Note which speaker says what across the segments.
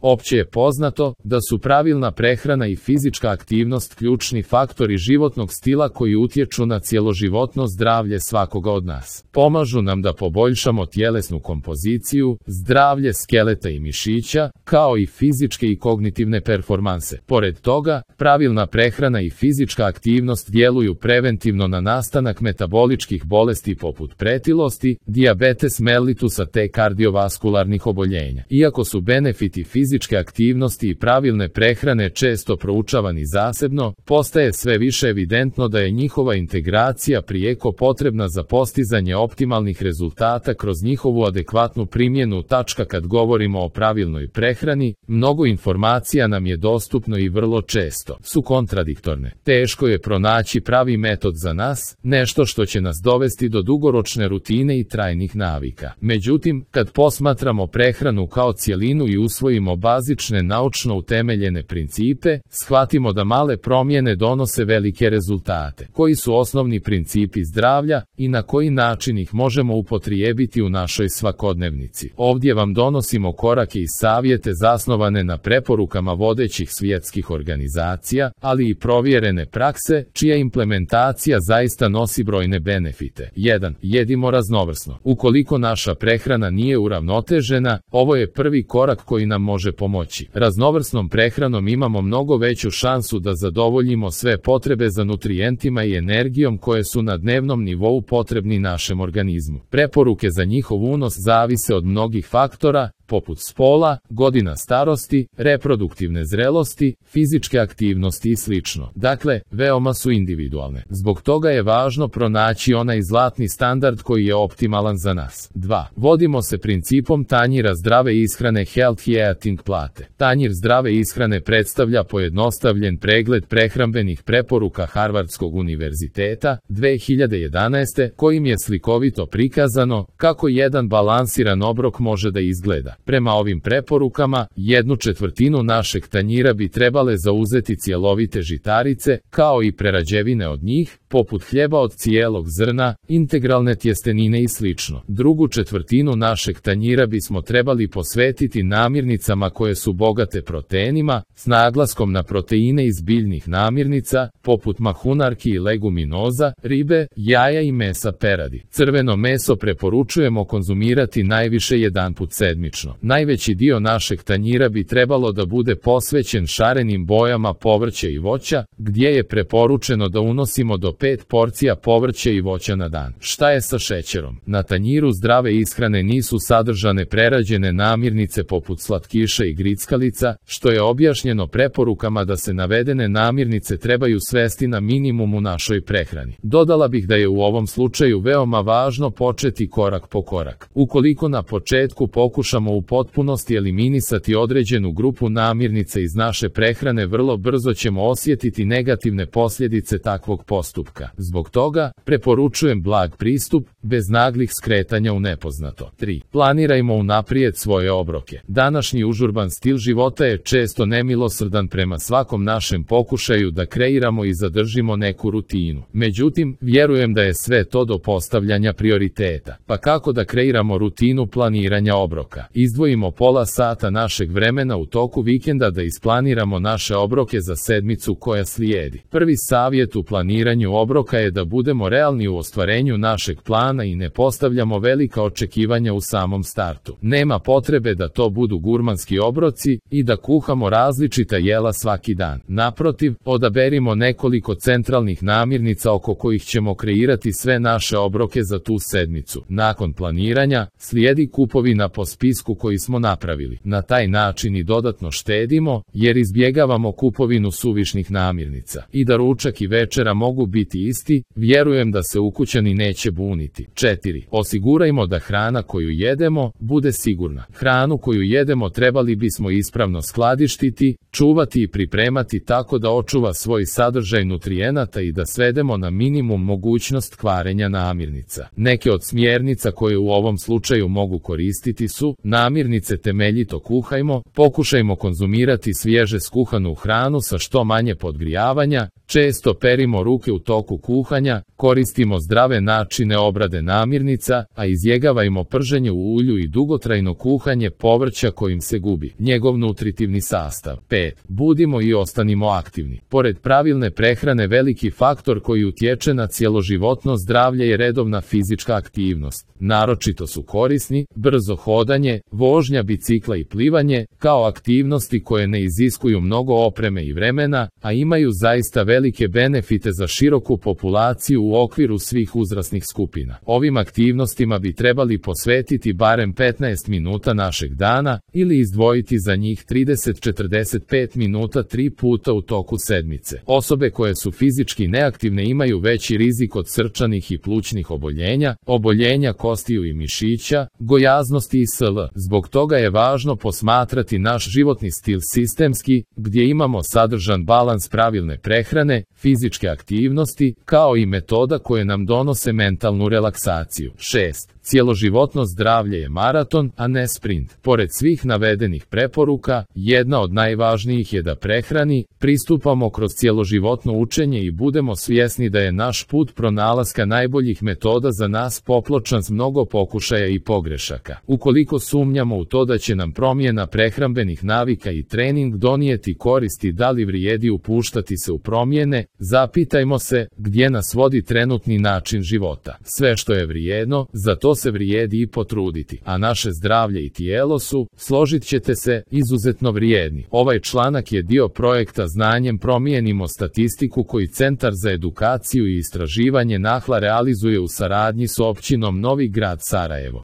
Speaker 1: Opće je poznato da su pravilna prehrana i fizička aktivnost ključni faktori životnog stila koji utječu na cjeloživotno zdravlje svakoga od nas. Pomažu nam da poboljšamo tjelesnu kompoziciju, zdravlje skeleta i mišića, kao i fizičke i kognitivne performanse. Pored toga, pravilna prehrana i fizička aktivnost djeluju preventivno na nastanak metaboličkih bolesti poput pretilosti, dijabetes mellitusa te kardiovaskularnih oboljenja. Iako su benefiti fizičke aktivnosti i pravilne prehrane često proučavani zasebno, postaje sve više evidentno da je njihova integracija prijeko potrebna za postizanje optimalnih rezultata kroz njihovu adekvatnu primjenu. Kad govorimo o pravilnoj prehrani, mnogo informacija nam je dostupno i vrlo često su kontradiktorne. Teško je pronaći pravi metod za nas, nešto što će nas dovesti do dugoročne rutine i trajnih navika. Međutim, kad posmatramo prehranu kao cjelinu i usvojimo bazične naučno utemeljene principe, shvatimo da male promjene donose velike rezultate. Koji su osnovni principi zdravlja i na koji način ih možemo upotrijebiti u našoj svakodnevnici? Ovdje vam donosimo korake i savjete zasnovane na preporukama vodećih svjetskih organizacija, ali i provjerene prakse, čija implementacija zaista nosi brojne benefite. 1. Jedimo raznovrsno. Ukoliko naša prehrana nije uravnotežena, ovo je prvi korak koji nam može pomoći. Raznovrsnom prehranom imamo mnogo veću šansu da zadovoljimo sve potrebe za nutrijentima i energijom koje su na dnevnom nivou potrebni našem organizmu. Preporuke za njihov unos zavise od mnogih faktora, poput spola, godina starosti, reproduktivne zrelosti, fizičke aktivnosti i sl. Dakle, veoma su individualne. Zbog toga je važno pronaći onaj zlatni standard koji je optimalan za nas. 2. Vodimo se principom tanjira zdrave ishrane Healthy Eating plate. Tanjir zdrave ishrane predstavlja pojednostavljen pregled prehrambenih preporuka Harvardskog univerziteta 2011. kojim je slikovito prikazano kako jedan balansiran obrok može da izgleda. Prema ovim preporukama, 1/4 našeg tanjira bi trebale zauzeti cjelovite žitarice, kao i prerađevine od njih, poput hljeba od cijelog zrna, integralne tjestenine i sl. Drugu četvrtinu našeg tanjira bismo trebali posvetiti namirnicama koje su bogate proteinima, s naglaskom na proteine iz biljnih namirnica, poput mahunarki i leguminoza, ribe, jaja i mesa peradi. Crveno meso preporučujemo konzumirati najviše jedanput sedmično. Najveći dio našeg tanjira bi trebalo da bude posvećen šarenim bojama povrća i voća, gdje je preporučeno da unosimo do 5 porcija povrća i voća na dan. Šta je sa šećerom? Na tanjiru zdrave ishrane nisu sadržane prerađene namirnice poput slatkiša i grickalica, što je objašnjeno preporukama da se navedene namirnice trebaju svesti na minimum u našoj prehrani. Dodala bih da je u ovom slučaju veoma važno početi korak po korak. Ukoliko na početku pokušamo u potpunosti eliminisati određenu grupu namirnica iz naše prehrane, vrlo brzo ćemo osjetiti negativne posljedice takvog postupka. Zbog toga, preporučujem blag pristup, bez naglih skretanja u nepoznato. 3. Planirajmo unaprijed svoje obroke. Današnji užurban stil života je često nemilosrdan prema svakom našem pokušaju da kreiramo i zadržimo neku rutinu. Međutim, vjerujem da je sve to do postavljanja prioriteta. Pa kako da kreiramo rutinu planiranja obroka? Izdvojimo pola sata našeg vremena u toku vikenda da isplaniramo naše obroke za sedmicu koja slijedi. Prvi savjet u planiranju obroka je da budemo realni u ostvarenju našeg plana i ne postavljamo velika očekivanja u samom startu. Nema potrebe da to budu gurmanski obroci i da kuhamo različita jela svaki dan. Naprotiv, odaberimo nekoliko centralnih namirnica oko kojih ćemo kreirati sve naše obroke za tu sedmicu. Nakon planiranja, slijedi kupovina po spisku koji smo napravili. Na taj način i dodatno štedimo, jer izbjegavamo kupovinu suvišnih namirnica. I da ručak i večera mogu biti isti, vjerujem da se ukućani neće buniti. 4. Osigurajmo da hrana koju jedemo bude sigurna. Hranu koju jedemo trebali bismo ispravno skladištiti, čuvati i pripremati tako da očuva svoj sadržaj nutrijenata i da svedemo na minimum mogućnost kvarenja namirnica. Neke od smjernica koje u ovom slučaju mogu koristiti su: Namirnice temeljito kuhajmo, pokušajmo konzumirati svježe skuhanu hranu sa što manje podgrijavanja, često perimo ruke u toku kuhanja, koristimo zdrave načine obrade namirnica, a izbjegavajmo prženje u ulju i dugotrajno kuhanje povrća kojim se gubi njegov nutritivni sastav. 5. Budimo i ostanimo aktivni. Pored pravilne prehrane, veliki faktor koji utječe na cjeloživotno zdravlje je redovna fizička aktivnost. Naročito su korisni brzo hodanje, vožnja bicikla i plivanje, kao aktivnosti koje ne iziskuju mnogo opreme i vremena, a imaju zaista velike benefite za široku populaciju u okviru svih uzrasnih skupina. Ovim aktivnostima bi trebali posvetiti barem 15 minuta našeg dana ili izdvojiti za njih 30-45 minuta 3 puta u toku sedmice. Osobe koje su fizički neaktivne imaju veći rizik od srčanih i plućnih oboljenja, oboljenja kostiju i mišića, gojaznosti i sl. Zbog toga je važno posmatrati naš životni stil sistemski, gdje imamo sadržan balans pravilne prehrane, fizičke aktivnosti, kao i metoda koje nam donose mentalnu relaksaciju. 6. Cjeloživotno zdravlje je maraton, a ne sprint. Pored svih navedenih preporuka, jedna od najvažnijih je da prehrani pristupamo kroz cjeloživotno učenje i budemo svjesni da je naš put pronalaska najboljih metoda za nas popločan s mnogo pokušaja i pogrešaka. Ukoliko sumnjamo u to da će nam promjena prehrambenih navika i trening donijeti koristi, da li vrijedi upuštati se u promjene, zapitajmo se gdje nas vodi trenutni način života. Sve što je vrijedno, za to se vrijedi i potruditi, a naše zdravlje i tijelo su, složit ćete se, izuzetno vrijedni. Ovaj članak je dio projekta Znanjem promijenimo statistiku koji Centar za edukaciju i istraživanje NAHLA realizuje u saradnji s općinom Novi Grad Sarajevo.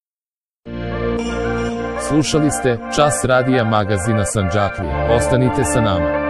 Speaker 1: Slušali ste Čas radija magazina Sandžaklija. Ostanite sa nama.